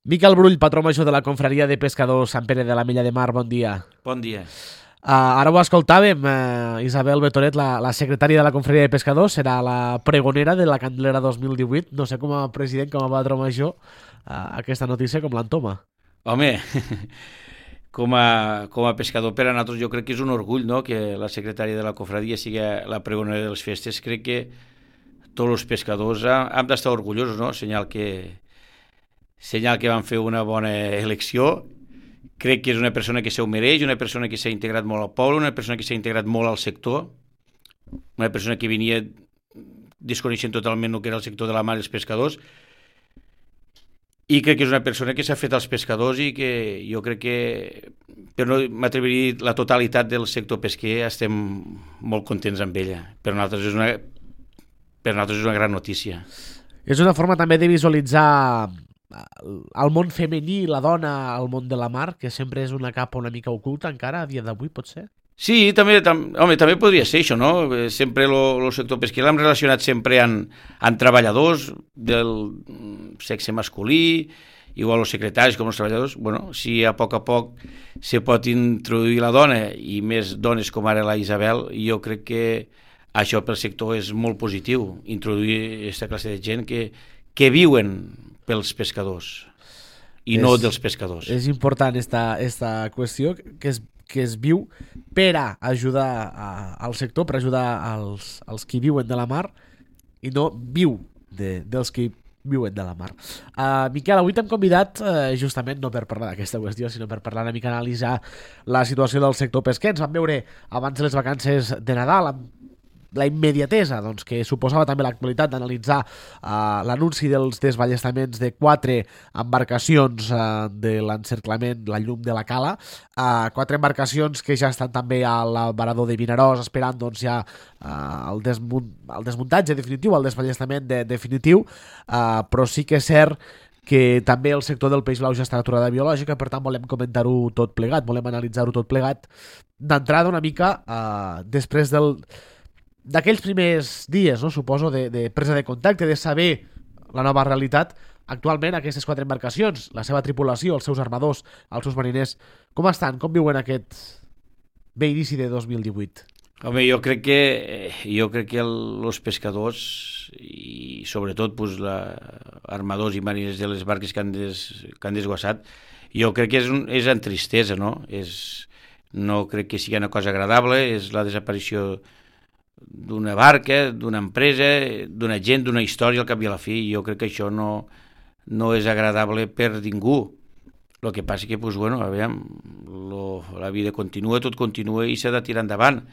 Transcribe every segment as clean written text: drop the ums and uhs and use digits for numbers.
Miquel Brull, patró major de la Confraria de Pescadors Sant Pere de la Mella de Mar, bon dia. Bon dia. Ara ho escoltàvem, Isabel Betoret, la secretària de la Confraria de Pescadors, serà la pregonera de la Candelera 2018. No sé, com a president, com a patró major, aquesta notícia com l'entoma. Home, com a pescador per a nosaltres jo crec que és un orgull, no?, que la secretària de la Confraria sigui la pregonera de les festes. Crec que tots els pescadors hem d'estar orgullosos, no?, senyal que van fer una bona elecció. Crec que és una persona que se ho mereix, una persona que s'ha integrat molt al poble, una persona que s'ha integrat molt al sector, una persona que venia desconeixent totalment el que era el sector de la mar i els pescadors, i crec que és una persona que s'ha fet als pescadors i que jo crec que, per no m'atreviria a dir la totalitat del sector pesquer, estem molt contents amb ella. Per nosaltres és una gran notícia. És una forma també de visualitzar el món femení, la dona al món de la mar, que sempre és una capa una mica oculta encara a dia d'avui, pot ser? Sí, també podria ser això, no? Sempre el sector pesquer l'hem relacionat sempre amb treballadors del sexe masculí, igual els secretaris com els treballadors. Bueno, si a poc se pot introduir la dona, i més dones com ara la Isabel, jo crec que això pel sector és molt positiu, introduir aquesta classe de gent que viuen pels pescadors i no dels pescadors. És important esta qüestió que es viu per a ajudar al sector, per ajudar als qui viuen de la mar i no viu dels qui viuen de la mar. Miquel, avui t'hem convidat justament no per parlar d'aquesta qüestió, sinó per parlar una mica, analitzar la situació del sector pesquer. Ens vam veure abans de les vacances de Nadal amb la immediatesa que suposava també l'actualitat d'analitzar l'anunci dels desballestaments de 4 embarcacions de l'encerclament, la llum de la Cala, 4 embarcacions que ja estan també al varador de Vinaròs esperant ja el desmuntatge definitiu, el desballestament definitiu, però sí que és cert que també el sector del peix blau ja està en aturada biològica, per tant volem comentar-ho tot plegat, volem analitzar-ho tot plegat d'entrada una mica després d'aquells primers dies, no? Suposo, de presa de contacte, de saber la nova realitat. Actualment aquestes 4 embarcacions, la seva tripulació, els seus armadors, els seus mariners, com estan? Com viuen aquest bé inici de 2018? Home, jo crec que els pescadors i sobretot armadors i mariners de les barques que han desguassat, jo crec que és en tristesa, no? No crec que sigui una cosa agradable, és la desaparició d'una barca, d'una empresa, d'una gent, d'una història al cap i a la fi. Jo crec que això no és agradable per ningú. El que passa que, la vida continua, tot continua i s'ha de tirar endavant.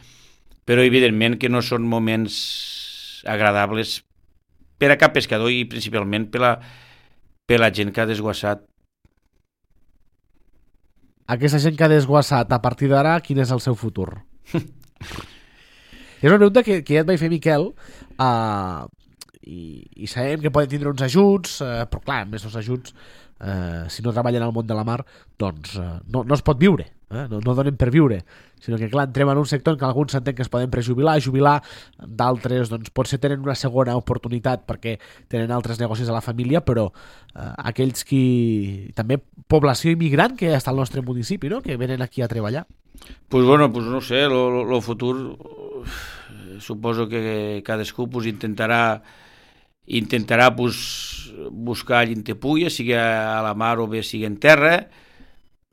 Però evidentment que no són moments agradables per a cap pescador i principalment per la gent que ha desguassat. Aquesta gent que ha desguassat, a partir d'ara, quin és el seu futur? És una pregunta que ja et vaig fer, Miquel, i sabem que poden tindre uns ajuts, però clar, a més els ajuts, si no treballen al món de la mar, doncs no es pot viure, no donen per viure, sinó que clar, entrem en un sector en què alguns s'entén que es poden prejubilar, d'altres doncs potser tenen una segona oportunitat perquè tenen altres negocis a la família, però aquells qui... també població immigrant que està al nostre municipi, no?, que venen aquí a treballar. Pues no sé, el futur suposo que cadascú intentarà buscar llintepulla, sigui a la mar o bé sigui en terra.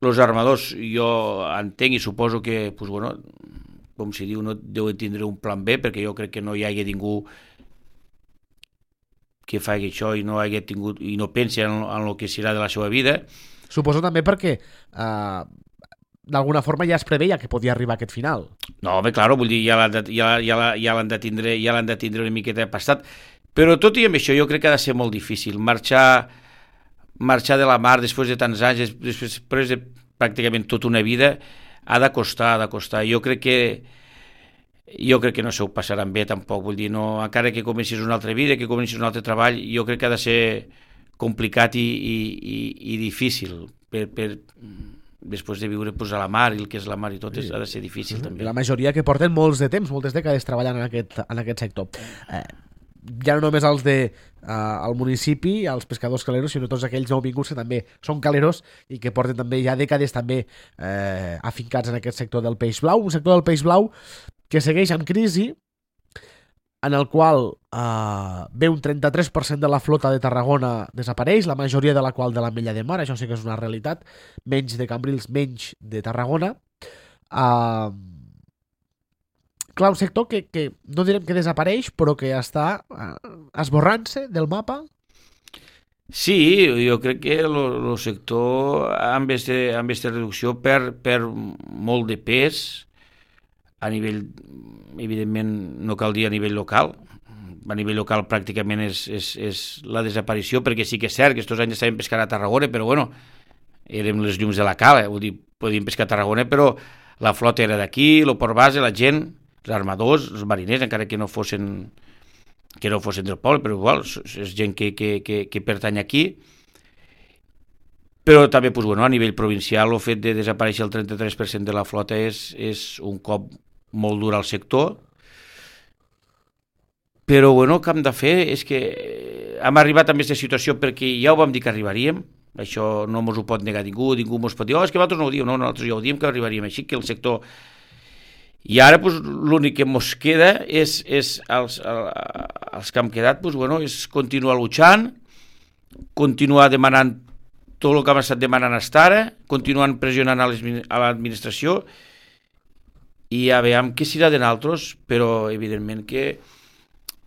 Els armadors, jo entenc i suposo que, com si diu, no deuen tindre un plan B, perquè jo crec que no hi hagi ningú que faci això i no hagi tingut i no pensi en el que serà de la seva vida. Suposo també perquè d'alguna forma ja es preveia que podia arribar aquest final. No, home, clar, vull dir, ja l'han de tindre una miqueta passat. Però tot i amb això jo crec que ha de ser molt difícil marxar de la mar després de tants anys, després de pràcticament tota una vida, ha de costar. Jo crec que no s'ho passaran bé tampoc, vull dir, no, encara que comencis una altra vida, que comencis un altre treball, jo crec que ha de ser complicat i difícil després de viure a la mar i el que és la mar i tot ha de ser difícil també. La majoria que porten molts de temps, moltes dècades treballant en aquest sector. ja no només els de al municipi, els pescadors caleros, sinó tots aquells nouvinguts que també són caleros i que porten també ja dècades també afincats en aquest sector del peix blau, un sector del peix blau que segueix en crisi, en el qual ve un 33% de la flota de Tarragona desapareix, la majoria de la qual de l'Ametlla de Mar, això sí que és una realitat, menys de Cambrils, menys de Tarragona. Clar, un sector que no direm que desapareix, però que està esborrant-se del mapa. Sí, jo crec que el sector amb aquesta reducció perd molt de pes a nivell, evidentment no cal dir a nivell local, a nivell local pràcticament és la desaparició, perquè sí que és cert que aquests anys estàvem pescant a Tarragona, però bueno, érem les llums de la cala, vull dir, podíem pescar a Tarragona, però la flota era d'aquí, el port base, la gent, els armadors, els mariners, encara que no fossin del poble, però igual, és gent que pertany aquí. Però també, doncs, bueno, a nivell provincial, el fet de desaparèixer el 33% de la flota és un cop molt dur al sector. Però, bueno, el que hem de fer és que hem arribat a aquesta situació perquè ja ho vam dir que arribaríem, això no ens ho pot negar ningú ens pot dir, és que vosaltres no ho diu, no, nosaltres ja ho diem que arribaríem així, que el sector... I ara l'únic que ens queda és els que hem quedat, és continuar luchant, continuar demanant tot el que hem estat demanant fins ara, continuant pressionant a l'administració i a veure què serà de nosaltres, però evidentment que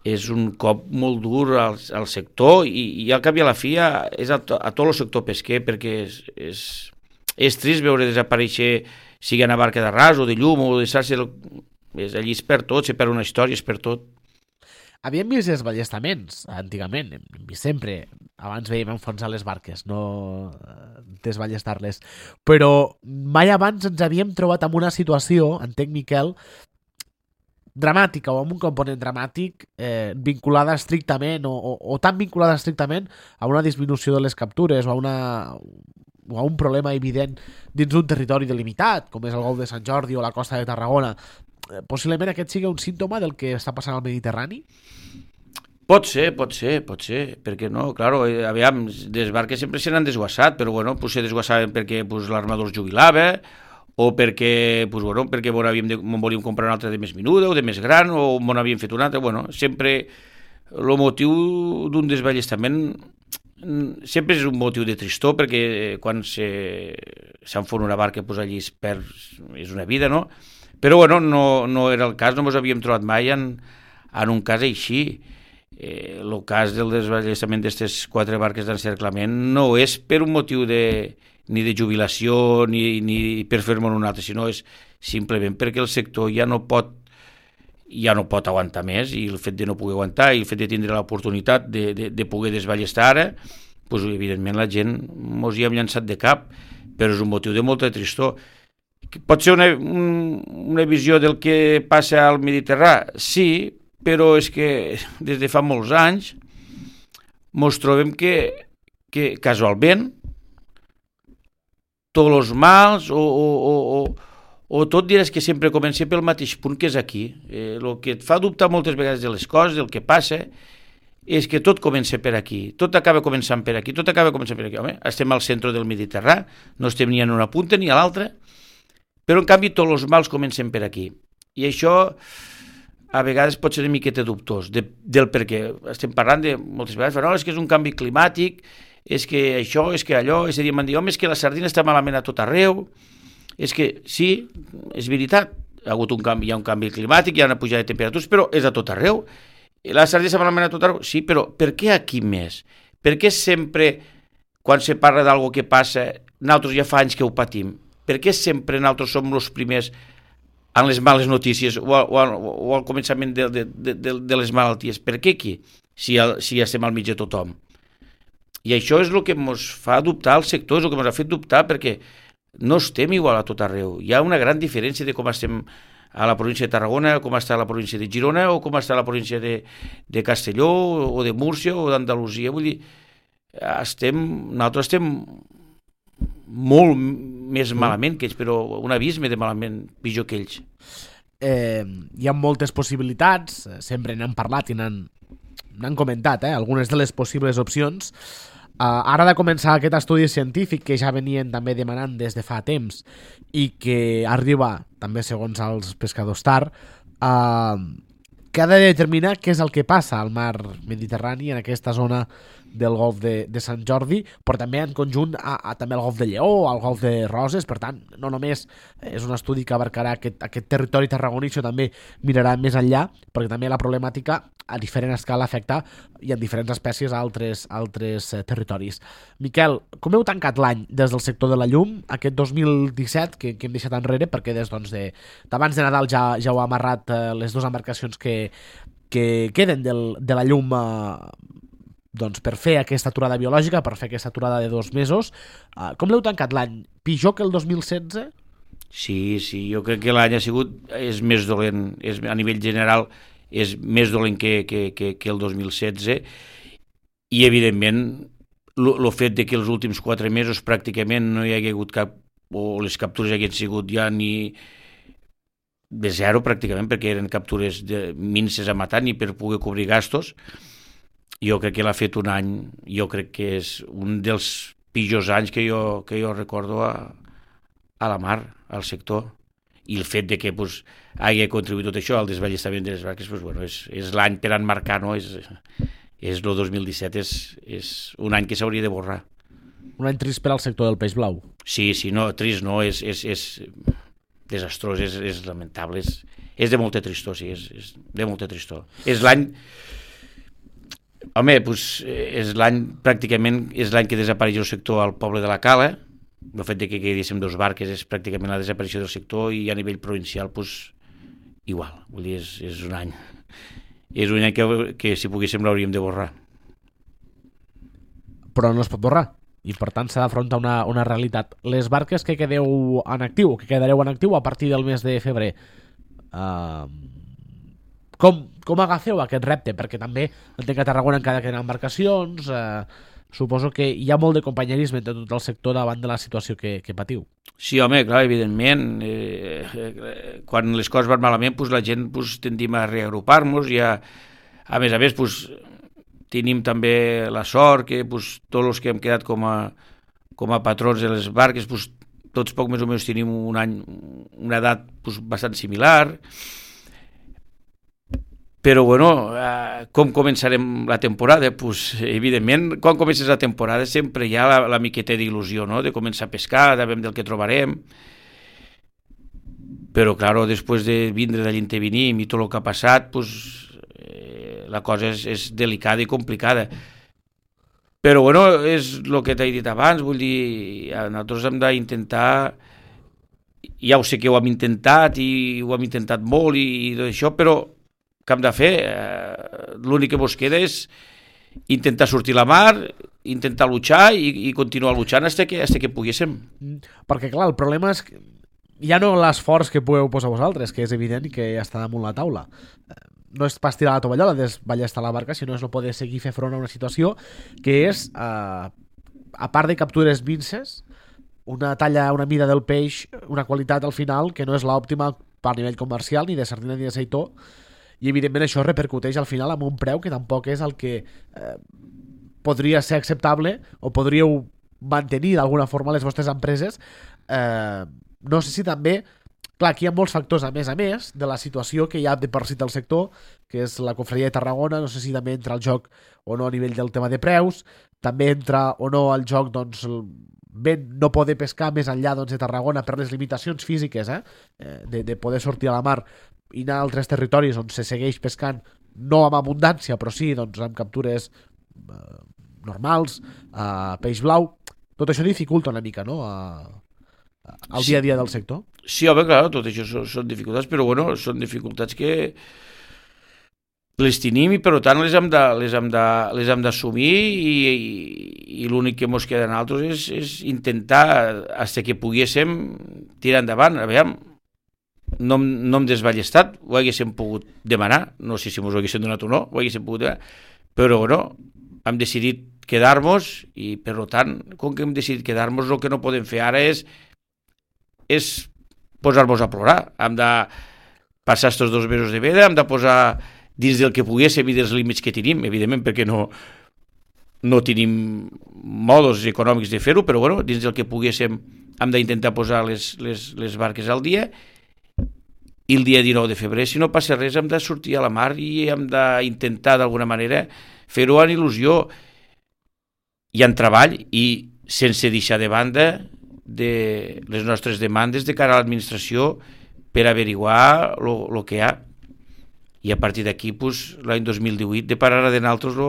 és un cop molt dur al sector i al cap i a la fi és a tot el sector pesquer, perquè és trist veure desaparèixer sigui a barca de ras o de llum o de xarxa, allí es perd tot, se perd una història, es perd tot. Havíem vist els ballestaments, antigament, hem vist sempre, abans veiem enfonsar les barques, no desballestar-les, però mai abans ens havíem trobat en una situació, entenc, Miquel, dramàtica o amb un component dramàtic vinculada estrictament o tan vinculada estrictament a una disminució de les captures o a un problema evident dins d'un territori delimitat, com és el Golf de Sant Jordi o la costa de Tarragona. Possiblement aquest sigui un símptoma del que està passant al Mediterrani? Pot ser, perquè no, claro, aviam, les barques sempre se n'han desguassat, però bueno, se desguassaven perquè l'armador es jubilava, o perquè, perquè volíem comprar una altra de més menuda, o de més gran, o havíem fet una altra, sempre el motiu d'un desballestament sempre és un motiu de tristor, perquè quan s'enfona una barca, allí es perd, és una vida, no? Però no era el cas, no ens havíem trobat mai en un cas així. El cas del desballestament d'aquestes 4 barques d'encerclament no és per un motiu ni de jubilació ni per fer-me un altre, sinó és simplement perquè el sector ja no pot aguantar més, i el fet de no poder aguantar i el fet de tindre l'oportunitat de poder desballestar ara, evidentment la gent mos hi hem llançat de cap, però és un motiu de molta tristor. Pot ser una visió del que passa al Mediterrani? Sí, però és que des de fa molts anys mos trobem que casualment tots els mals o tot diràs que sempre comença pel mateix punt, que és aquí. El que et fa dubtar moltes vegades de les coses, del que passa, és que tot comença per aquí, tot acaba començant per aquí, Home, estem al centre del Mediterrani, no estem ni en una punta ni a l'altra, però en canvi tots els mals comencen per aquí. I això a vegades pot ser una miqueta dubtós del per què. Estem parlant de moltes vegades, no, és que és un canvi climàtic, és que això, és que allò, és a dir, m'han dit, home, és que la sardina està malament a tot arreu. És que sí, és veritat, hi ha hagut un canvi, hi ha un canvi climàtic, hi ha una pujada de temperatures, però és a tot arreu. La sardina està malament a tot arreu, sí, però per què aquí més? Per què sempre, quan se parla d'algo que passa, nosaltres ja fa anys que ho patim? Per què sempre nosaltres som els primers en les males notícies o al començament de les malalties? Per què aquí, si ja estem al mig de tothom? I això és el que ens fa dubtar el sector, és el que ens ha fet dubtar, perquè no estem igual a tot arreu. Hi ha una gran diferència de com estem a la província de Tarragona, com està a la província de Girona o com està a la província de Castelló o de Múrcia o d'Andalusia. Vull dir, nosaltres estem molt més malament que ells, però un abisme de malament pitjor que ells. Hi ha moltes possibilitats, sempre n'hem parlat i n'han n'han comentat, algunes de les possibles opcions. Ara ha de començar aquest estudi científic que ja venien també demanant des de fa temps i que arriba també segons els pescadors tard, que ha de determinar què és el que passa al mar Mediterrani en aquesta zona del golf de Sant Jordi, però també en conjunt també al golf de Lleó, al golf de Roses. Per tant, no només és un estudi que abarcarà aquest territori tarragoní, sinó també mirarà més enllà, perquè també la problemàtica a diferent escala afecta i en diferents espècies a altres territoris. Miquel, com heu tancat l'any des del sector de la llum, aquest 2017 que hem deixat enrere, perquè des d'abans de Nadal ja heu amarrat les dues embarcacions que queden de la llum per fer aquesta aturada biològica, per fer aquesta aturada de 2 mesos. Com l'heu tancat l'any? Pitjor que el 2016? Sí, jo crec que l'any és més dolent, a nivell general és més dolent que el 2016 i evidentment el fet de que els últims 4 mesos pràcticament no hi hagi hagut cap, o les captures haguessin sigut ja ni de zero pràcticament, perquè eren captures de minces a matar ni per poder cobrir gastos. Jo crec que l'ha fet un any, jo crec que és un dels pitjors anys que jo recordo a la mar, al sector. I el fet de que hagi contribuït tot això al desballestament de les barques, és l'any per enmarcar, no? És el 2017 és un any que s'hauria de borrar. Un any trist per al sector del peix blau. Sí, no, trist no, és desastrós, és lamentable, és de molta tristor, sí, és de molta tristor. És l'any... Home, és l'any, pràcticament, és l'any que desapareix el sector al poble de la Cala. El fet de que quedéssim 2 barques és pràcticament la desaparició del sector i a nivell provincial, igual. Vull dir, és un any. És un any que si poguéssim l'hauríem de borrar. Però no es pot borrar. I per tant s'ha d'afrontar una realitat. Les barques que quedeu en actiu, que quedareu en actiu a partir del mes de febrer, com agafeu aquest repte? Perquè també entenc que a Tarragona encara queden embarcacions, suposo que hi ha molt de companyerisme de tot el sector davant de la situació que patiu. Sí, home, clar, evidentment. Quan les coses van malament, la gent tendim a reagrupar-nos i a més, tenim també la sort que tots els que hem quedat com a patrons de les barques, tots poc més o menys tenim una edat bastant similar. Però, com començarem la temporada? Evidentment, quan comences la temporada sempre hi ha la miqueta d'il·lusió, no?, de començar a pescar, de veure el que trobarem. Però, clar, després de vindre d'allí on venim i tot el que ha passat, la cosa és delicada i complicada. Però, és el que t'he dit abans, vull dir, nosaltres hem d'intentar, ja ho sé que ho hem intentat i ho hem intentat molt i tot això, però que hem de fer, l'únic que ens queda és intentar sortir a la mar, intentar luchar i continuar luchant fins que poguéssim. Perquè clar, el problema és que ja no l'esforç que podeu posar vosaltres, que és evident que ja està damunt la taula. No és pas tirar la tovallola, desballestar la barca, sinó és no poder seguir fer front a una situació que és, a part de captures minces, una talla, una mida del peix, una qualitat al final que no és l'òptima per nivell comercial, ni de sardina ni de seitó, i evidentment això repercuteix al final amb un preu que tampoc és el que podria ser acceptable o podríeu mantenir d'alguna forma les vostres empreses. No sé si també, clar, aquí hi ha molts factors a més de la situació que hi ha de per si del sector, que és la Confraria de Tarragona. No sé si també entra el joc o no a nivell del tema de preus, també entra o no al joc no poder pescar més enllà de Tarragona per les limitacions físiques de poder sortir a la mar i anar a altres territoris on se segueix pescant, no amb abundància, però sí amb captures normals, peix blau. Tot això dificulta una mica, no?, el dia a dia del sector. Sí, home, clar, tot això són dificultats, però són dificultats que les tenim i per tant les hem d'assumir i l'únic que ens queda a nosaltres és intentar fins que poguéssim tirar endavant. Aviam, no hem desballestat, ho haguéssim pogut demanar, no sé si ens ho haguéssim donat o no, ho haguéssim pogut demanar, però hem decidit quedar-nos i per tant, com que hem decidit quedar-nos, el que no podem fer ara és posar-nos a plorar. Hem de passar estos 2 mesos de veda, hem de posar dins del que poguéssim i dels límits que tenim, evidentment, perquè no tenim modos econòmics de fer-ho, però bueno, dins del que poguéssim hem d'intentar posar les barques al dia, i el dia 19 de febrer, si no passa res, hem de sortir a la mar i hem d'intentar d'alguna manera fer-ho en il·lusió i en treball, i sense deixar de banda de les nostres demandes de cara a l'administració per averiguar el que hi ha. I a partir d'aquí, pues, l'any 2018 depararà de nosaltres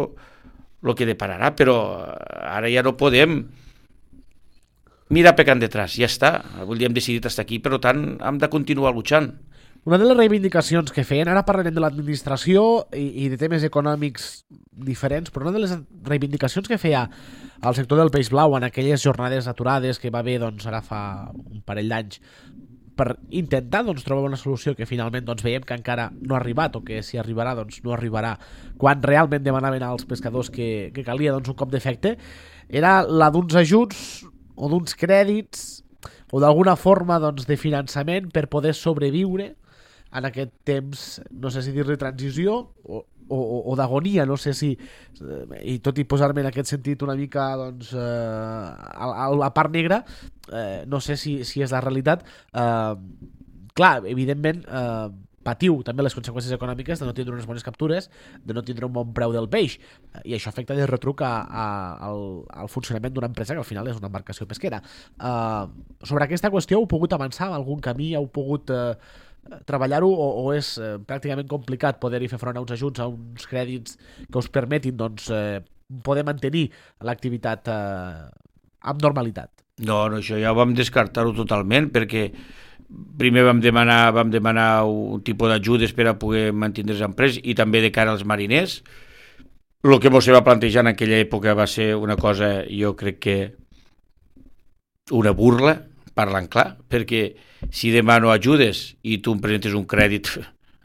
el que depararà, però ara ja no podem mirar pecant detrás, ja està. Avui hem decidit estar aquí, per tant, hem de continuar luchant. Una de les reivindicacions que feien, ara parlarem de l'administració i de temes econòmics diferents, però una de les reivindicacions que feia el sector del peix blau en aquelles jornades aturades que va haver doncs, ara fa un parell d'anys per intentar trobar una solució que finalment veiem que encara no ha arribat, o que si arribarà no arribarà quan realment demanaven als pescadors que calia un cop d'efecte, era la d'uns ajuts o d'uns crèdits o d'alguna forma de finançament per poder sobreviure en aquest temps, no sé si dir-li transició o d'agonia, no sé si, i tot i posar-me en aquest sentit una mica a la part negra, no sé si és la realitat. Clar, evidentment patiu també les conseqüències econòmiques de no tindre unes bones captures, de no tindre un bon preu del peix, i això afecta de retruc al funcionament d'una empresa que al final és una embarcació pesquera. Sobre aquesta qüestió heu pogut avançar en algun camí, heu pogut treballar-ho, o és pràcticament complicat poder-hi fer front a uns ajuts, a uns crèdits que us permetin poder mantenir l'activitat amb normalitat? No, això ja ho vam descartar-ho totalment, perquè primer vam demanar un tipus d'ajudes per a poder mantenir les empreses i també de cara als mariners. El que ens va plantejar en aquella època va ser una cosa, jo crec que una burla, parlant clar, perquè si demano ajudes i tu em presentes un crèdit,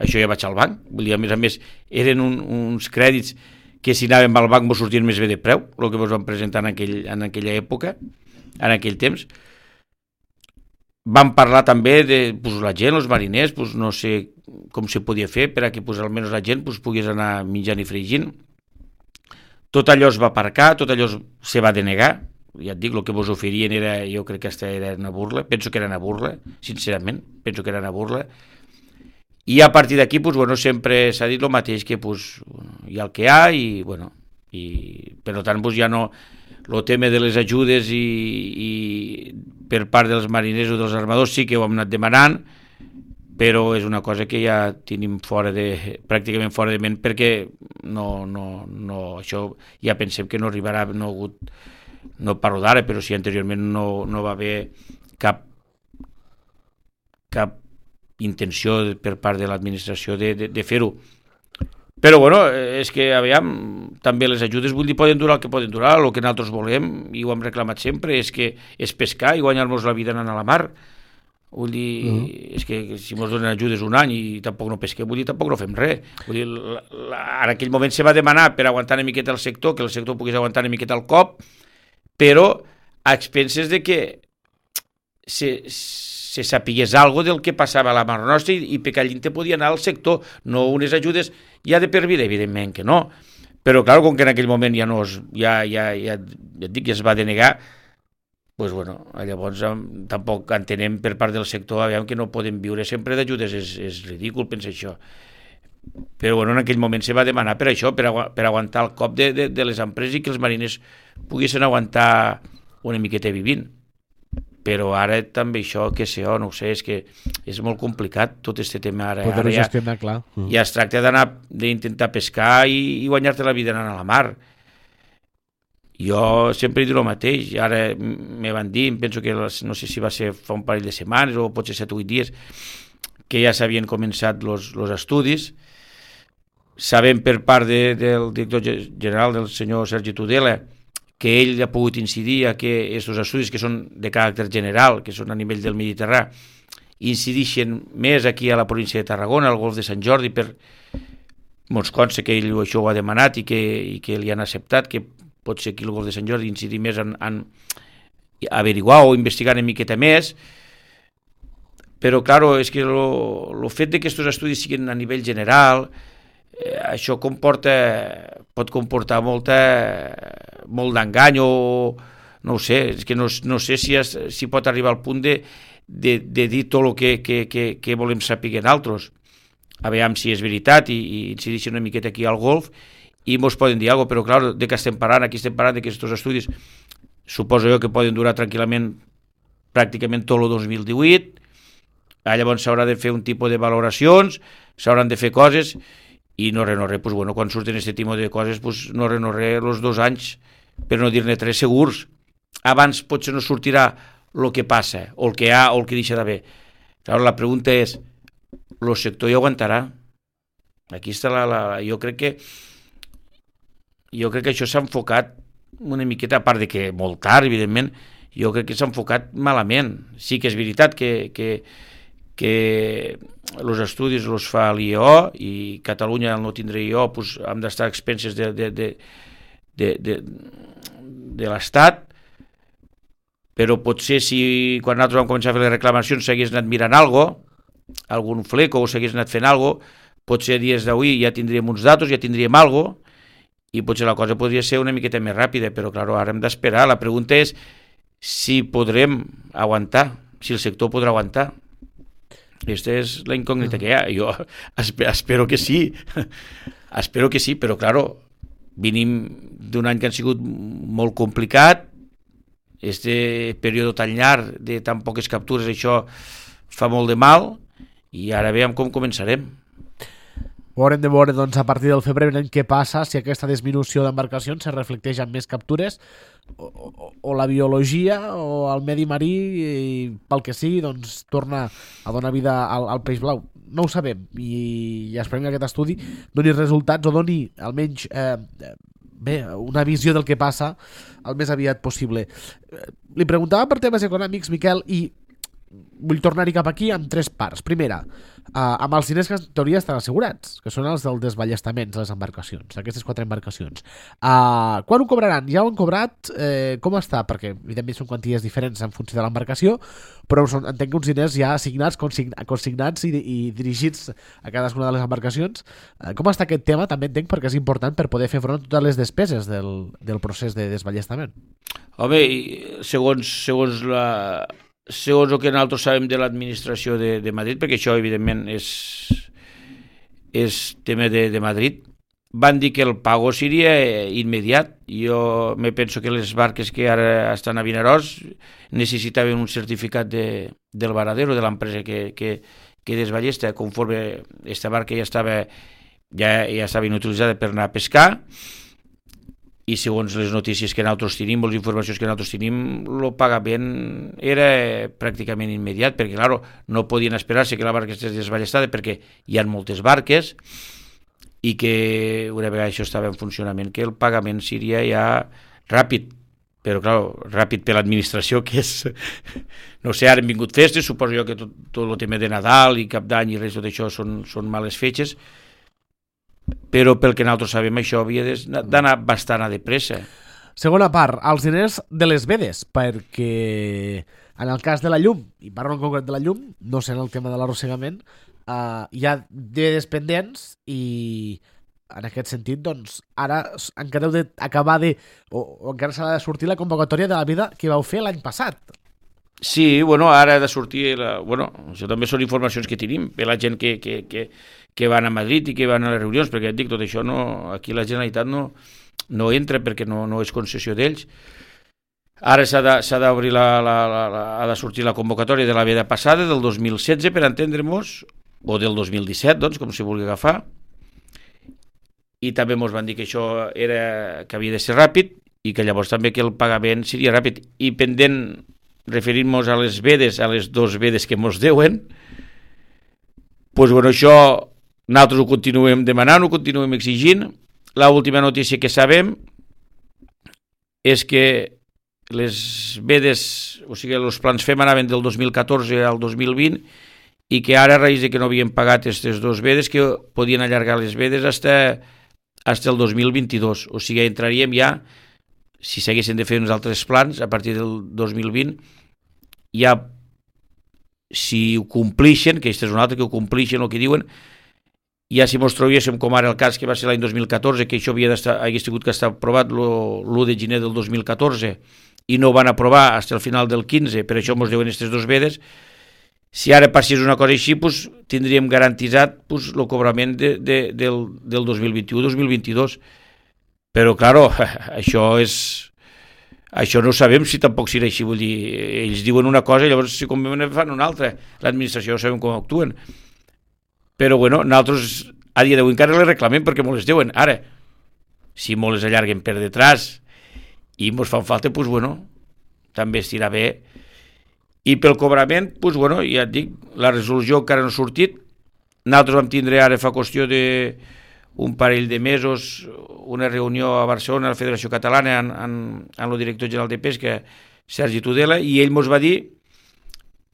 això ja vaig al banc. Vull dir, a més, eren uns crèdits que si anàvem al banc ens sortien més bé de preu, el que ens van presentar en aquella època, en aquell temps. Vam parlar també de la gent, els mariners, no sé com se podia fer per a que almenys la gent pogués anar menjant i fregint. Tot allò es va aparcar, tot allò se va denegar. Ja et dic, el que vos oferien jo crec que era una burla, penso que era una burla, sincerament, penso que era una burla. I a partir d'aquí, sempre s'ha dit el mateix, que hi ha el que hi ha, i per tant, ja no, el tema de les ajudes i per part dels mariners o dels armadors sí que ho hem anat demanant, però és una cosa que ja tenim pràcticament fora de ment, perquè això ja pensem que no arribarà, no parlo d'ara, però si anteriorment no va haver cap intenció per part de l'administració de fer-ho. Però és que aviam, també les ajudes poden durar el que poden durar, el que nosaltres volem, i ho hem reclamat sempre, és pescar i guanyar-nos la vida anant a la mar. Vull dir, és que si ens donen ajudes un any i tampoc no pesquem, tampoc no fem res. Vull dir, en aquell moment se va demanar per aguantar una miqueta el sector, que el sector pogués aguantar una miqueta el cop, però a expenses de que se sapigués alguna del que passava a la mar nostra i perquè allí te podia anar al sector, no unes ajudes ja de per vida, evidentment que no, però clar, com que en aquell moment ja es va denegar, llavors tampoc entenem per part del sector que no podem viure sempre d'ajudes, és ridícul pensar això. Però en aquell moment se va demanar per això, per aguantar el cop de les empreses i que els mariners poguessin aguantar una miqueta vivint. Però ara també això, no ho sé, és que és molt complicat tot aquest tema ara. Poder-ho gestionar, clar. Ja es tracta d'intentar pescar i guanyar-te la vida anant a la mar. Jo sempre he dit el mateix, ara me van dir, penso que no sé si va ser fa un parell de setmanes o potser 7 o 8 dies, que ja s'havien començat els estudis. Sabem per part del director general, del senyor Sergi Tudela, que ell ha pogut incidir a que aquests estudis, que són de caràcter general, que són a nivell del Mediterrà, incideixen més aquí a la província de Tarragona, al golf de Sant Jordi, ens consta que ell això ho ha demanat i que li han acceptat, que pot ser aquí al golf de Sant Jordi incidir més en averiguar o investigar una miqueta més, però, clar, és que el fet que aquests estudis siguin a nivell general això pot comportar molt d'engany o no ho sé, és que no sé si pot arribar al punt de dir tot el que volem saber nosaltres. A veure si és veritat i incideixen una miqueta aquí al golf i mos poden dir alguna cosa, però clar, de què estem parlant? Aquí estem parlant d'aquests estudis, suposo jo que poden durar tranquil·lament pràcticament tot el 2018, llavors s'haurà de fer un tipus de valoracions, s'hauran de fer coses i no res, pues bueno, quan surten aquest tipus de coses, pues no res, els 2 anys, per no dir-ne 3 segurs, abans potser no sortirà el que passa, o el que hi ha, o el que deixa d'haver. Llavors la pregunta és, el sector hi aguantarà? Aquí està jo crec que això s'ha enfocat una miqueta, a part de que molt tard, evidentment, jo crec que s'ha enfocat malament. Sí que és veritat que els estudis els fa l'IEO i Catalunya al no tindre IEO pues, hem d'estar a expenses de l'Estat, però potser si quan nosaltres vam començar a fer les reclamacions s'hagués anat mirant algun fleco o s'hagués anat fent alguna cosa, potser a dies d'avui ja tindríem uns datos, ja tindríem alguna cosa, i potser la cosa podria ser una miqueta més ràpida, però clar, ara hem d'esperar. La pregunta és si podrem aguantar, si el sector podrà aguantar. Aquesta és la incògnita que hi ha. Jo espero que sí, espero que sí, però clar, venim d'un any que ha sigut molt complicat, este període tan llarg de tan poques captures, això fa molt de mal, i ara veiem com començarem. Ho haurem de veure doncs, a partir del febrer què passa, si aquesta disminució d'embarcacions se reflecteix en més captures o la biologia o el medi marí i pel que sigui doncs, torna a donar vida al peix blau. No ho sabem i esperem que aquest estudi doni resultats o doni almenys una visió del que passa el més aviat possible. Li preguntava per temes econòmics, Miquel, i vull tornar-hi cap aquí amb 3 parts. Primera, amb els diners que en teoria estan assegurats, que són els del desballestament de les embarcacions, aquestes 4 embarcacions. Quan ho cobraran? Ja ho han cobrat? Com està? Perquè evidentment són quanties diferents en funció de l'embarcació, però entenc que uns diners ja assignats, consignats i dirigits a cadascuna de les embarcacions. Com està aquest tema? També entenc perquè és important per poder fer front a totes les despeses del procés de desballestament. Home, segons el que nosaltres sabem de l'administració de Madrid, perquè això evidentment és tema de Madrid, van dir que el pago seria immediat. Jo me penso que les barques que ara estan a Vinaròs necessitaven un certificat del varadero, de l'empresa que desballesta, conforme aquesta barca ja estava inutilitzada per anar a pescar, i segons les notícies que nosaltres tenim, les informacions que nosaltres tenim, el pagament era pràcticament immediat, perquè clar, no podien esperar-se que la barca estigués desballestada perquè hi ha moltes barques i que una vegada això estava en funcionament, que el pagament seria ja ràpid, però clar, ràpid per l'administració, que és, no sé, ara han vingut festes, suposo jo que tot el tema de Nadal i Cap d'Any i res, tot això són males fetges, però pel que nosaltres sabem això havia d'anar bastant de pressa. Segona part, els diners de les vedes, perquè en el cas de la llum, i parlo en concret de la llum, no sé en el tema de l'arrossegament, hi ha vedes pendents i en aquest sentit, doncs, ara encara heu d'acabar o encara s'ha de sortir la convocatòria de la veda que vau fer l'any passat. Sí, bueno, ara ha de sortir... això també són informacions que tenim per la gent que van a Madrid i que van a les reunions, perquè et dic, tot això aquí la Generalitat no entra perquè no és concessió d'ells. Ara s'ha d'obrir ha de sortir la convocatòria de la veda passada, del 2016, per entendre-nos, o del 2017, doncs, com si vulgui agafar, i també ens van dir que això que havia de ser ràpid i que llavors també que el pagament seria ràpid. I pendent, referint-nos a les vedes, a les 2 vedes que ens deuen, doncs bueno, això nosaltres ho continuem demanant, ho continuem exigint. L'última notícia que sabem és que les vedes, o sigui, els plans FEM anaven del 2014 al 2020 i que ara, a raïs de que no havien pagat aquestes 2 vedes, que podien allargar les vedes fins el 2022. O sigui, entraríem ja, si s'haguessin de fer uns altres plans, a partir del 2020, ja, si ho complixen, que aquest és un altre, que ho complixen el que diuen, ja si mos trobéssim com ara el cas que va ser l'any 2014, que això hagués tingut que estar aprovat l'1 de gener del 2014 i no ho van aprovar fins al final del 15, per això mos deuen aquestes dos vedes. Si ara passés una cosa així, pues, tindríem garantitzat pues, el cobrament del 2021-2022. Però, claro, això no ho sabem si tampoc serà així. Vull dir, ells diuen una cosa i llavors si convenen fan una altra. L'administració no sabem com actuen. Però, bueno, nosaltres a dia d'avui encara les reclamem perquè mos les deuen. Ara, si mos les allarguen per detrás i mos fan falta, doncs, bueno, també estirà bé. I pel cobrament, doncs, bueno, ja et dic, la resolució encara no ha sortit. Nosaltres vam tindre ara fa qüestió d'un parell de mesos una reunió a Barcelona, a la Federació Catalana, amb el director general de Pesca, Sergi Tudela, i ell mos va dir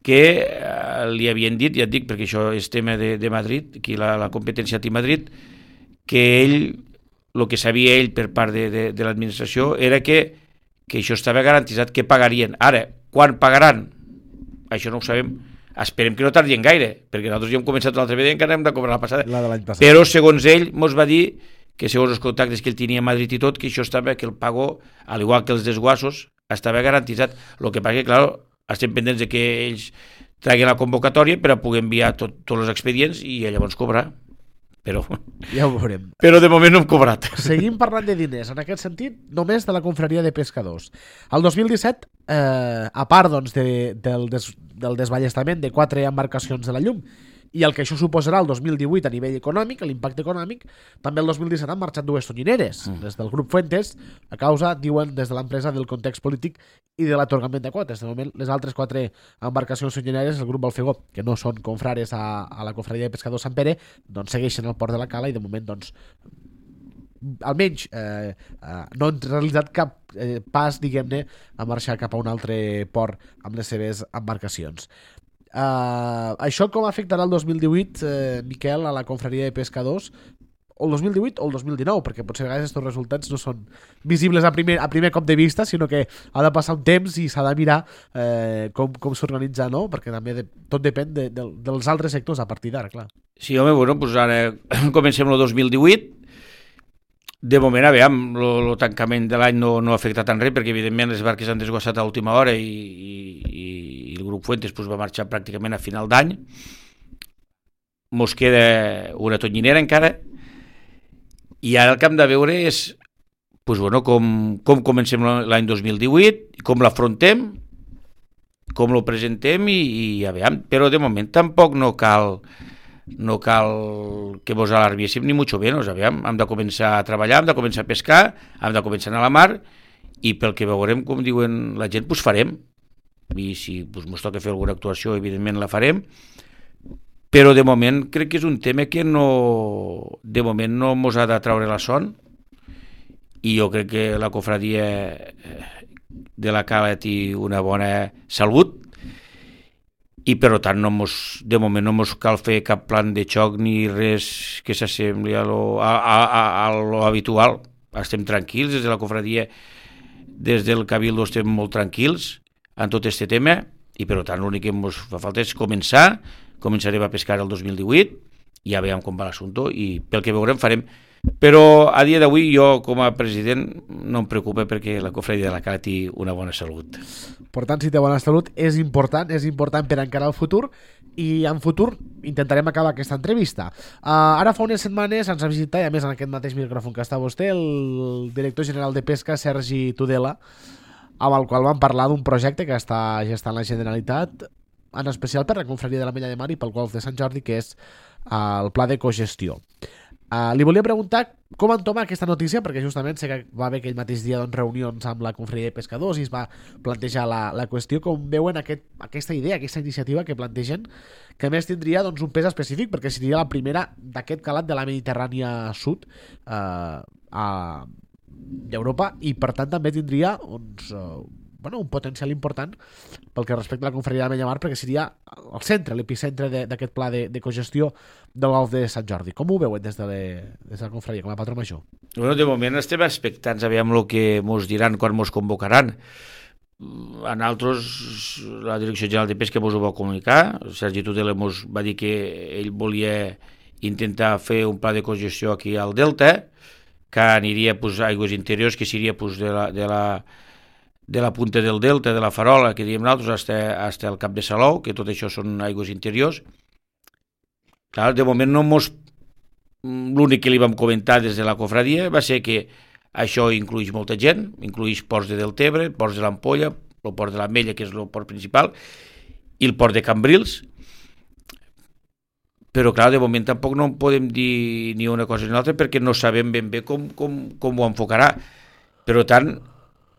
que li havien dit, ja et dic, perquè això és tema de Madrid, aquí la competència a Madrid, que ell, el que sabia ell per part de l'administració era que això estava garantitzat, que pagarien. Ara, quan pagaran? Això no ho sabem. Esperem que no tardien gaire, perquè nosaltres ja hem començat l'altra vegada i encara hem de cobrar la passada. La de l'any passat. Però, segons ell, mos va dir que, segons els contactes que ell tenia a Madrid i tot, que això estava, que el pago, al igual que els desguassos, estava garantitzat. El que passa que, clar, estem pendents de que ells traguin la convocatòria per a poder enviar tots els expedients i llavors cobrar. Però ja ho veurem. Però de moment no hem cobrat. Seguim parlant de diners, en aquest sentit, només de la confraria de pescadors. El 2017, a part doncs, del desballestament de 4 embarcacions de la llum i el que això suposarà el 2018 a nivell econòmic, l'impacte econòmic, també el 2017 han marxat 2 tonyineres des del grup Fuentes, a causa, diuen des de l'empresa, del context polític i de l'atorgament de quotes. De moment, les altres 4 embarcacions tonyineres, el grup Balfegó, que no són confrares a la confraria de pescadors Sant Pere, doncs segueixen al port de la Cala i de moment doncs almenys no han realitzat cap pas, diguem-ne, a marxar cap a un altre port amb les seves embarcacions. Això com afectarà el 2018, Miquel, a la confraria de pescadors, o el 2018 o el 2019, perquè potser a vegades aquests resultats no són visibles a primer cop de vista, sinó que ha de passar un temps i s'ha de mirar com s'organitza, no? Perquè també tot depèn dels altres sectors a partir d'ara, clar. Sí, home, bueno, doncs ara comencem el 2018. De moment, aviam, el tancament de l'any no ha afectat en res, perquè evidentment les barques han desguassat a última hora i el grup Fuentes doncs, va marxar pràcticament a final d'any. Mos queda una tonyinera encara, i ara el que hem de veure és doncs, bueno, com comencem l'any 2018, com l'afrontem, com lo presentem i aviam, però de moment tampoc no cal que vos alarmiéssim ni mucho menos. Aviam, hem de començar a treballar, hem de començar a pescar, hem de començar a anar a la mar i pel que veurem, com diuen la gent, doncs farem. I si ens toca fer alguna actuació, evidentment la farem, però de moment crec que és un tema que de moment no ens ha de treure la son i jo crec que la confraria de la Cala té una bona salut i per tant de moment no ens cal fer cap plan de xoc ni res que s'assembli a lo habitual. Estem tranquils des de la confraria, des del Cabildo estem molt tranquils en tot aquest tema i per tant l'únic que ens fa falta és començarem a pescar el 2018 i ja veiem com va l'assumpte i pel que veurem farem. Però a dia d'avui jo com a president no em preocupa perquè la confraria de la Cala té una bona salut. Per tant, si té bona salut és important per encarar el futur i en futur intentarem acabar aquesta entrevista. Ara fa unes setmanes ens ha visitat, i a més en aquest mateix micròfon que està vostè, el director general de Pesca, Sergi Tudela, amb el qual vam parlar d'un projecte que està gestant la Generalitat, en especial per la confraria de l'Ametlla de Mar i pel Golf de Sant Jordi, que és el pla de cogestió. Li volia preguntar com entoma aquesta notícia, perquè justament sé que va haver aquell mateix dia reunions amb la confraria de pescadors i es va plantejar la qüestió, com veuen aquesta idea, aquesta iniciativa que plantegen, que a més tindria un pes específic perquè seria la primera d'aquest calat de la Mediterrània Sud d'Europa i per tant també tindria un potencial important pel que respecta a la confraria de l'Ametlla de Mar, perquè seria el centre, l'epicentre d'aquest pla de cogestió del Golf de Sant Jordi. Com ho veuen des de la confraria, com a patró major? Bueno, de moment estem expectants, aviam el que ens diran quan ens convocaran. A nosaltres, la Direcció General de Pesca ens ho va comunicar, Sergi Tudela ens va dir que ell volia intentar fer un pla de cogestió aquí al Delta, que aniria pues, a aigües interiors, que seria pues, de la punta del Delta, de la Farola, que diem nosaltres, fins al Cap de Salou, que tot això són aigües interiors. Clar, de moment no mos... L'únic que li vam comentar des de la cofradia va ser que això inclueix molta gent, inclueix ports de Deltebre, ports de l'Ampolla, el port de l'Ametlla, que és el port principal, i el port de Cambrils. Però, clar, de moment tampoc no podem dir ni una cosa ni l'altra perquè no sabem ben bé com ho enfocarà. Per tant,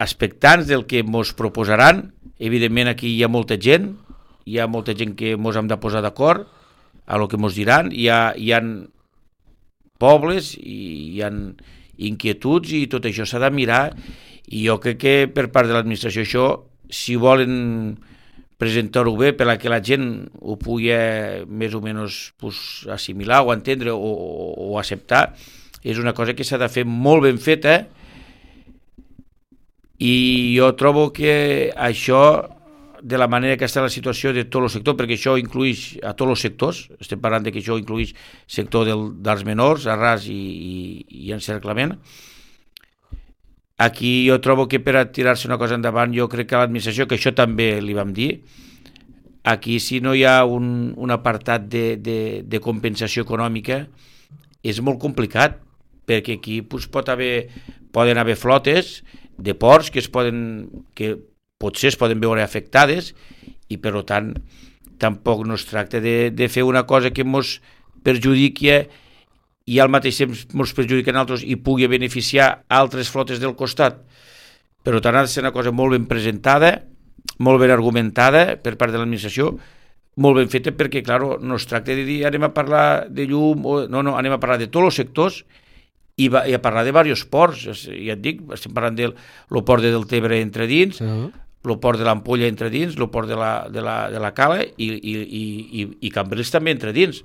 expectants del que ens proposaran, evidentment aquí hi ha molta gent que ens hem de posar d'acord a el que ens diran, hi ha pobles, hi ha inquietuds i tot això s'ha de mirar, i jo crec que per part de l'administració això, si volen presentar-ho bé per a que la gent ho pugui més o menys pues, assimilar o entendre o acceptar, és una cosa que s'ha de fer molt ben feta, i jo trobo que això, de la manera que està la situació de tot el sector, perquè això inclueix a tots els sectors, estem parlant que això inclueix sector dels menors, arràs i encerclament. Aquí jo trobo que per a tirar-se una cosa endavant, jo crec que l'administració, que això també li vam dir, aquí si no hi ha un apartat de compensació econòmica, és molt complicat, perquè aquí pues, poden haver flotes de ports que potser es poden veure afectades, i per tant tampoc no es tracta de fer una cosa que ens perjudiqui i al mateix temps ens perjudiquen altres i pugui beneficiar altres flotes del costat. Per tant ha de ser una cosa molt ben presentada, molt ben argumentada per part de l'administració, molt ben feta, perquè clar, no es tracta de dir anem a parlar de llum, no, anem a parlar de tots els sectors i a parlar de diversos ports. Ja et dic, estem parlant del port de Deltebre entre dins, el port de l'Ampolla entre dins, el port de la Cala i Cambrils també entre dins.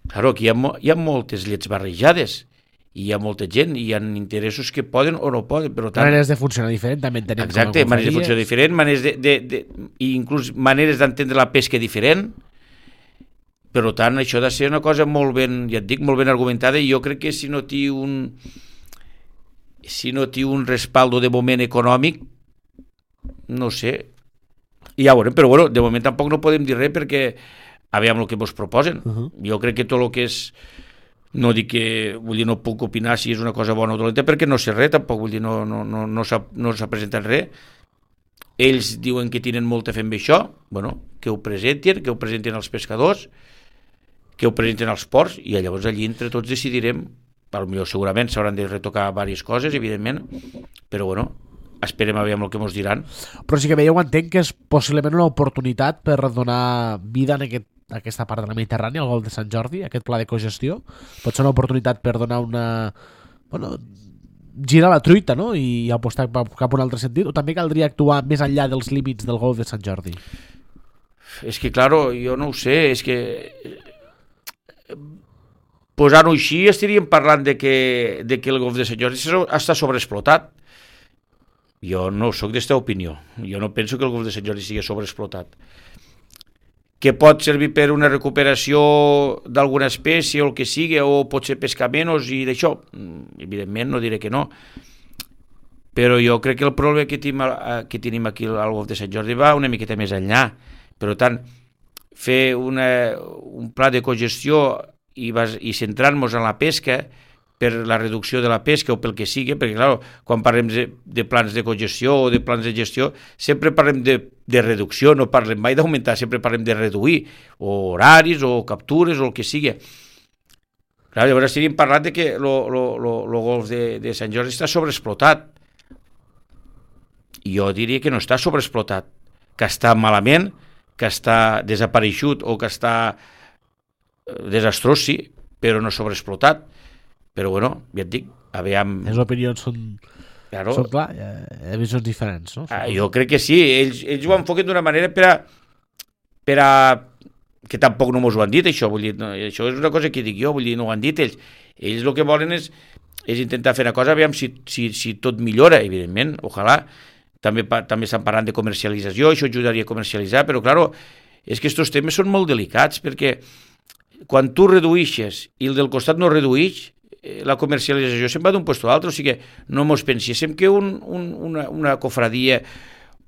Claro, aquí hi ha moltes llets barrejades i hi ha molta gent i hi ha interessos que poden o no poden, però tant... Maneres de funcionar diferent també en tenim. Exacte, maneres de funcionar diferent, i inclús maneres d'entendre la pesca diferent. Per tant, això ha de ser una cosa molt ben, ja et dic, molt ben argumentada, i jo crec que si no té un respaldo de moment econòmic, no sé, ja ho veurem, però bueno, de moment tampoc no podem dir res perquè aviam el que ens proposen. Jo crec que tot el que és, no dic que, vull dir, no puc opinar si és una cosa bona o dolenta perquè no sé res, tampoc, vull dir, no s'ha presentat res. Ells diuen que tenen molta fe amb això, bueno, que ho presenten els pescadors, que ho presenten als ports, i llavors allí entre tots decidirem, potser segurament s'hauran de retocar diverses coses, evidentment, però bueno, esperem a veure el que ens diran. Però sí que veieu, entenc que és possiblement una oportunitat per donar vida en aquesta part de la Mediterrània, al Golf de Sant Jordi, aquest pla de cogestió. Pot ser una oportunitat per donar girar la truita, no?, i apostar cap a un altre sentit, o també caldria actuar més enllà dels límits del Golf de Sant Jordi? És que, claro, jo no ho sé, és que posant-ho així estaríem parlant de que el Golf de Sant Jordi està sobreexplotat. Jo no sóc d'esta opinió. Jo no penso que el Golf de Sant Jordi sigui sobreexplotat. Que pot servir per una recuperació d'alguna espècie o el que sigui, o pot ser pescar menys i d'això, evidentment no diré que no, però jo crec que el problema que tenim aquí al Golf de Sant Jordi va una miqueta més enllà. Per tant, fer un pla de cogestió i centrar-nos en la pesca per la reducció de la pesca o pel que sigui, perquè clar, quan parlem de plans de cogestió o de plans de gestió sempre parlem de reducció, no parlem mai d'augmentar, sempre parlem de reduir, o horaris o captures o el que sigui. Clar, llavors estaríem parlant de que el Golf de Sant Jordi està sobreexplotat. Jo diria que no està sobreexplotat, que està malament, que està desapareixut o que està desastrós, sí, però no sobreexplotat. Però bueno, ja et dic, aviam... Les opinions són clar, hi ha visions diferents, no? Jo crec que sí, ells ho enfoquen d'una manera per a que tampoc no mos ho han dit, això, vull dir, no, això és una cosa que dic jo, vull dir, no ho han dit ells. Ells el que volen és intentar fer una cosa, aviam si tot millora, evidentment, ojalà. També estan parlant de comercialització, això ajudaria a comercialitzar, però clar, és que aquests temes són molt delicats, perquè quan tu reduïxes i el del costat no reduïx, la comercialització se'n va d'un lloc a l'altre, o sigui que no mos penséssim que una cofradia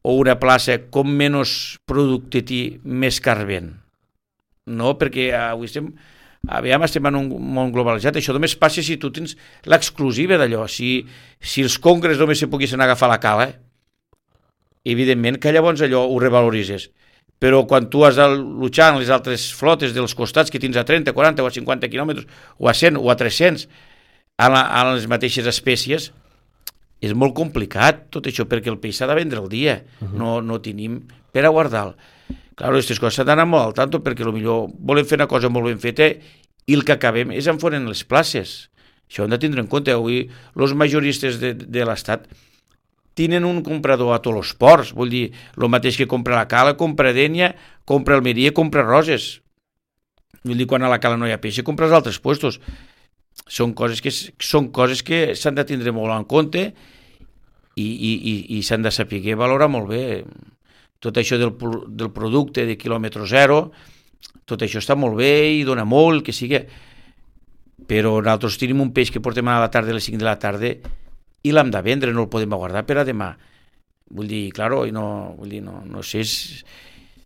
o una plaça com menys producte té més car ven. No, perquè avui estem en un món globalitzat. Això només passa si tu tens l'exclusiva d'allò. Si els congres només se poguessin agafar la cala, evidentment que llavors allò ho revaloritzes. Però quan tu has de luchar en les altres flotes dels costats que tens a 30, 40 o a 50 quilòmetres, o a 100 o a 300, a les mateixes espècies, és molt complicat tot això, perquè el peix s'ha de vendre el dia, no tenim per a guardar-lo. Clar, aquestes coses s'han d'anar molt al tanto, perquè potser volem fer una cosa molt ben feta i el que acabem és enforen les places. Això hem de tindre en compte. Avui els majoristes de l'Estat tenen un comprador a tots els ports, vull dir, el mateix que compra la Cala, compra Dénia, compra Almeria, compra Roses. Vull dir, quan a la Cala no hi ha peix, compra als altres puestos. Són coses que s'han de tindre molt en compte i s'han de saber valorar molt bé. Tot això del producte de quilòmetre zero, tot això està molt bé i dona molt, que sigui, però nosaltres tenim un peix que portem a la tarda a les 5 de la tarda i l'hem de vendre, no el podem guardar per a demà. Vull dir, claro, no sé,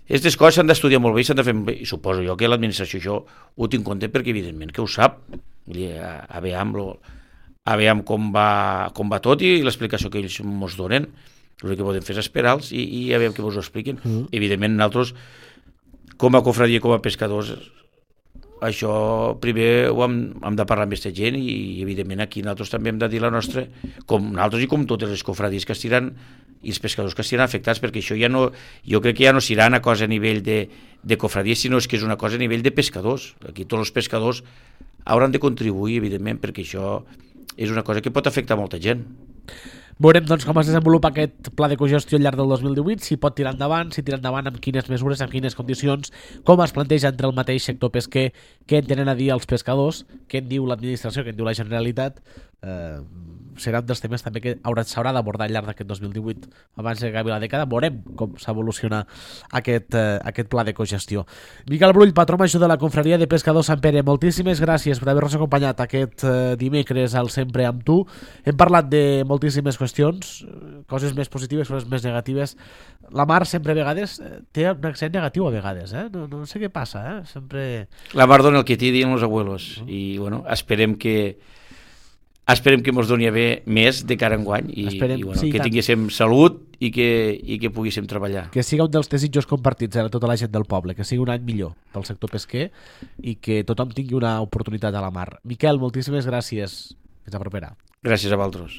aquestes coses s'han d'estudiar molt bé i s'han de fer bé, i suposo jo que l'administració això ho tinc en compte perquè evidentment que ho sap. Vull dir, a veure com va tot i l'explicació que ells ens donen. El que podem fer és esperar-los i a veure què us ho expliquen. Evidentment, nosaltres, com a cofradia, com a pescadors, això primer ho hem de parlar amb aquesta gent i evidentment aquí nosaltres també hem de dir la nostra, com nosaltres i com totes les cofradies que estiran i els pescadors que estiran afectats, perquè això ja no, jo crec que ja no serà una cosa a nivell de cofradies, sinó que és una cosa a nivell de pescadors. Aquí tots els pescadors hauran de contribuir, evidentment, perquè això és una cosa que pot afectar molta gent. Veurem doncs, com es desenvolupa aquest pla de cogestió al llarg del 2018, si pot tirar endavant, amb quines mesures, amb quines condicions, com es planteja entre el mateix sector pesquer, què en tenen a dir els pescadors, què en diu l'administració, què en diu la Generalitat. Serà un dels temes també que s'haurà d'abordar al llarg d'aquest 2018 abans que acabi la dècada. Veurem com s'evoluciona aquest pla de cogestió. Miquel Brull, patró major de la Confraria de Pescadors Sant Pere, moltíssimes gràcies per haver-nos acompanyat aquest dimecres al Sempre amb tu. Hem parlat de moltíssimes qüestions, coses més positives, coses més negatives. La mar sempre a vegades té un accent negatiu a vegades, no sé què passa, sempre... La mar dona el que t'hi diuen els abuelos i bueno, esperem que ens doni a bé més de cara a enguany i bueno, sí, que tinguéssim salut i que poguéssim treballar. Que siga un dels desitjos compartits a tota la gent del poble, que sigui un any millor pel sector pesquer i que tothom tingui una oportunitat a la mar. Miquel, moltíssimes gràcies. Fins la propera. Gràcies a vosaltres.